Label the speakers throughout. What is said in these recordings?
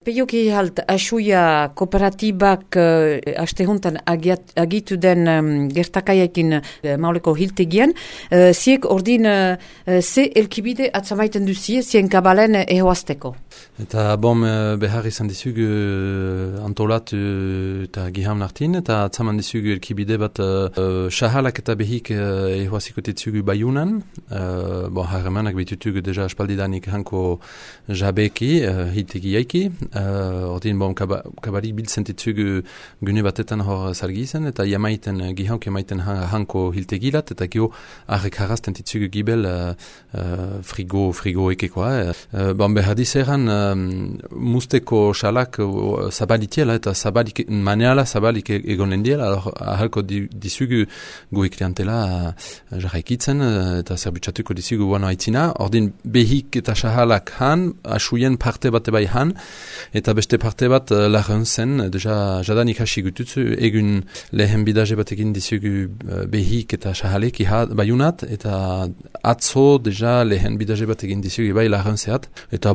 Speaker 1: Peioki halt, asuia kooperatibak astehuntan agitu den gertakaiekin mauleko hiltegian, ziek ordin ze elkibide atzamaiten duzie, zien kabalen ehoazteko.
Speaker 2: Eta behar izan dizugu antolatu eta giham nartin, eta atzaman dizugu elkibide bat sahalak eta behik ehoaziko ditzugu baiunan. Harremanak bitutugu deja aspaldidanik hanko jabeki, hiltegiaiki. Ordin kabalik biltzen ditzugu gune batetan hor zargizen, eta gihauk jamaiten hanko hiltegilat, eta gio arrek harrazten ditzugu gibel frigo ekekoa. Behar dizeran musteko salak zabalitiela eta maneala zabalik egonen diela, ahalko dizugu goe klientela jarraikitzen eta zerbutsatuko dizugu guano haitzina. Ordin behik eta sahalak han, asuien parte bate bai han, eta beste parte bat lagun zen, deja jadanik hasi gututzu, egun lehen bidaje batekin dizugu behik eta sahalek baiunat, eta atzo deja lehen bidaje batekin dizugu bai lagun zehat. Eta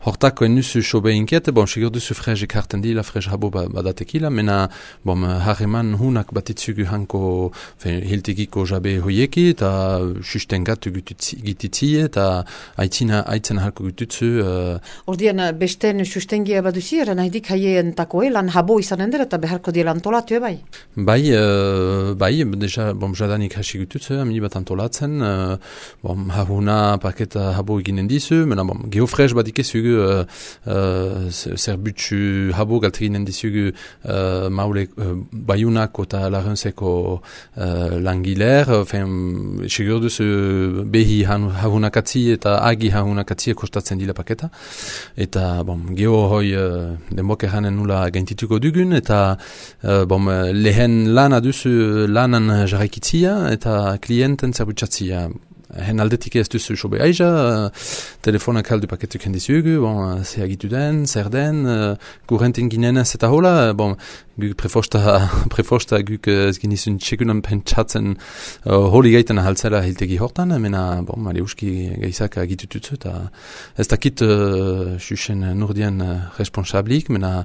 Speaker 2: hortako enuzu sobe inkiet, sigur duzu frezek harten dila, frez habo badatekila, mena harreman hunak batitzugu hanko hiltegiko jabe hoieki, eta sustengatu gititzie, eta aitzen halko gututzu.
Speaker 1: Ordian, besten sustengia baduzi, eran haidik haien takoe, lan habo izanen dira, eta beharko dira antolatu bai?
Speaker 2: Bai, deja, jadanik hasi gututzu, amini bat antolatzen, hahuna paketa habo eginen dizu, mena geofrez badikezugu zerbutsu habo galteginen dizugu maule baiunako eta lagunzeko langiler, segur duzu behi hahunakatzi eta agi hahunakatzi kostatzen dila paketa, eta geho hoi denbok eranen nula gaintituko dugun, eta lehen lana duzu lanan jarraikitzia eta klienten zerbutsatzia. Hen aldetik ez duzu sobe aiza, telefonak aldu paketuk hendizugu, ze agitu den, zer den, kurrentin ginen ez eta hola, guk prefosta guk ez ginizun txekunan pentsatzen holi gaiten ahaltzela hiltegi hortan, mena Mariuski gaizak agitututzu, eta ez dakit xuxen nurdian responsablik, mena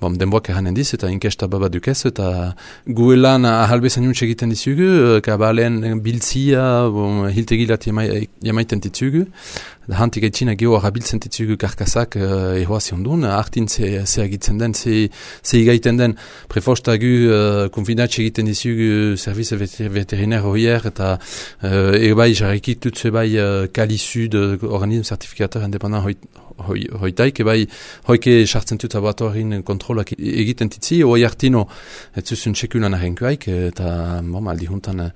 Speaker 2: denboak eranen diz, eta inkesta babaduk ez, eta guelan ahalbezan juntz egiten dizugu, kabalen biltzia, hiltegi jamaiten ditzugu, hantik aitzina geho arabiltzen ditzugu karkasak ehoazion duen, hartin ze agitzen den, ze igaiten den, prefostagu konfinatxe egiten dizugu servize veterinaire hoier, eta bai jarraikitutze bai Kali Sud organisme certificateur indépendant hoitaik, bai hoike sartzen dut laboratorin kontrolak egiten ditzi, hoi hartino ez zuzun txekulan ahenkuaik, eta aldi juntan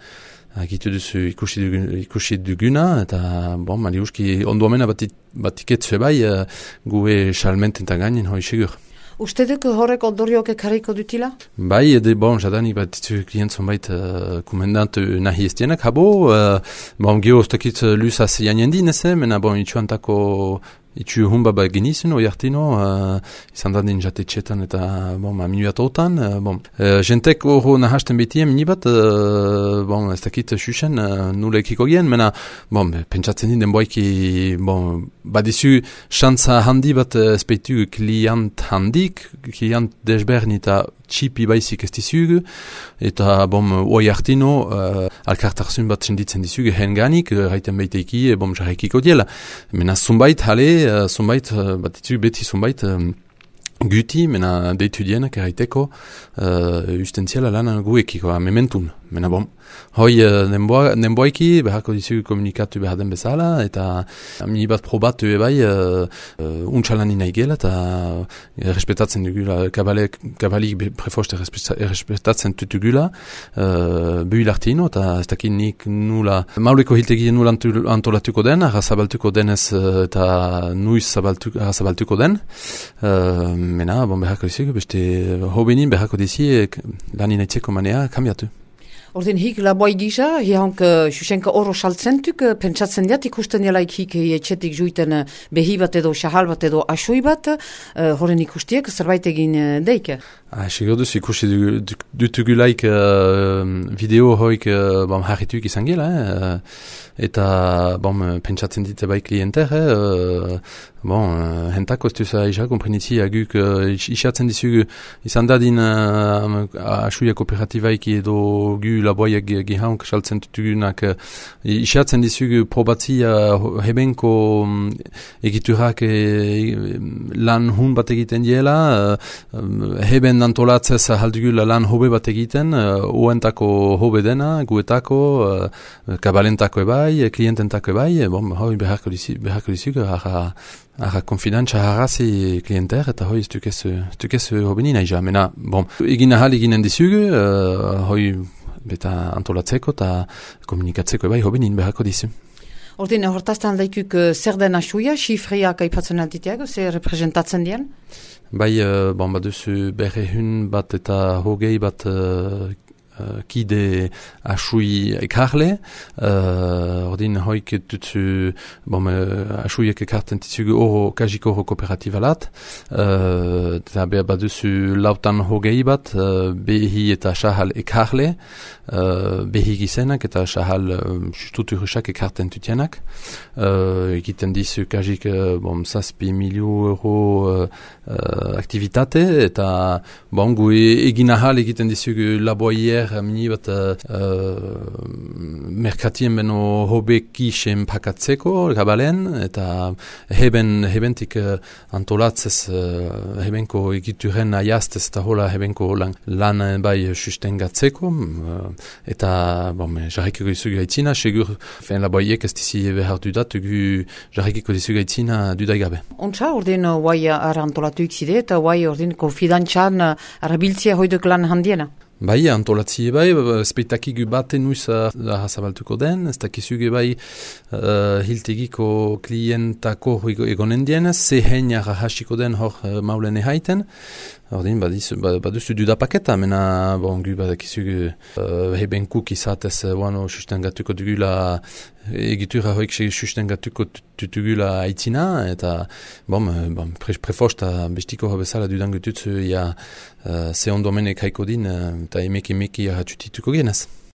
Speaker 2: agitu duzu ikusi duguna, eta Mariuski onduamena batiketzue bai gue salmenten gainen hoi segur.
Speaker 1: Uste duk horrek ondorioak ekarriko dutila?
Speaker 2: Bai, jadanik bat ditu klientzon bait komendant nahi estienak habo, geho ostakit lusaz janien dineze, mena itxuantako itxu humba bat genizun, oi hartino, izan da din jatetxetan eta minuatotan. Jentek horro nahasten betien minibat, ez dakit xuxen nula ekiko gen, mena pentsatzen din denboiki badizu xantza handi bat espeitu klient handik, klient desberdin eta txipi baizik ez dizugu, eta oi hartino alkartarzun bat senditzen dizugu henganik, raiten beiteiki, jarraikiko diela. Mena zunbait, zunbait, bat ditu beti zunbait, guti, mena deitu dienak eraiteko, ustentziala lan guekiko, mementun. Mena hoi denboaiki, beharko dizugu komunikatu behar den bezala, eta mini bat probatu ebai untxalani nahi gela, eta respetatzen dugula, kabalik prefoste respetatzen tutugula, buhil hartino, eta ez dakit nik nula, mauleko hiltegien nula antolatuko den, arrazabaltuko denez eta nuiz arrazabaltuko den, mena, beharko dizugu, beste hobenin beharko dizi lanin aitzeko manea kambiatu.
Speaker 1: Ordin hik laboi gisa, hihank Xuxenka oro saltzentuk, pentsatzen diat ikusten dialaik hik etxetik juiten behi bat edo xahal bat edo asoi bat, horren ikustiek zerbait egin deik.
Speaker 2: Sigur duz ikusi dutugulaik video hoik harrituk izan gela, eta pentsatzen dite bai klienter, hentako ez duza isa komprenitzi aguk isatzen dizugu izan dadin asuia kooperatibaiki edo gu laboiak gihaunk saltzen dutugunak isatzen dizugu probatzia hebenko egiturak lan hun bat egiten diela, heben antolatzez haldugula lan hobe bat egiten, uentako hobe dena, guetako, kabalentako ebai, kliententako ebai, hoi beharko dizugu, Ara konfidantza harrazi klienter, eta hoi stukez hobenin aija. Mena, egin ahal eginen dizugu, hoi beta antolatzeko eta komunikatzeko ebai hobenin beharko dizu.
Speaker 1: Ordin, hortaztan daikuk zer den asuia, xifriak aipatzen alditeago, zer representatzen dien?
Speaker 2: Bai, baduzu berrehun bat eta hogei bat kide asui ekarle, ordin hoik dutzu asuiek ekarten titzugu oro, kajik oro kooperatibalat, eta baduzu lautan hogei bat, behi eta sahal ekarle, behi gizenak eta sahal sustuturusak ekarten tutienak, egiten dizu kajik zazpi miliu euro aktivitate, eta gu egin ahal egiten dizugu laboier mini bat merkatien beno hobeki sen pakatzeko gabalen, eta hebentik antolatzez hebenko egituren aiaztez eta hola hebenko lan bai sustengatzeko, eta jarrikiko dizugu aitzina, segur laboiek ez dizi behar dudat, jarrikiko dizugu aitzina dudaigabe.
Speaker 1: Ontsa, ordin guai antolatu ikzide, eta guai ordin konfidantzan arabiltzia hoiduk lan handiena?
Speaker 2: Bai, antolatzi bai, speitakigu baten nuiz hazabaltuko den, ez dakizuge bai hiltegiko klientako egonen dienez, zehen jarra hasiko den hor maulen ehaiten, ordin baduzu dudapaketa, mena gu badakizuge hebenkuk izatez sustengatuko dugula egitura hoik sustengatuko dugula aitzina, eta prefosta bestiko bezala dudango tutzu ze ondomenek haiko din, eta emeki arratutituko genez.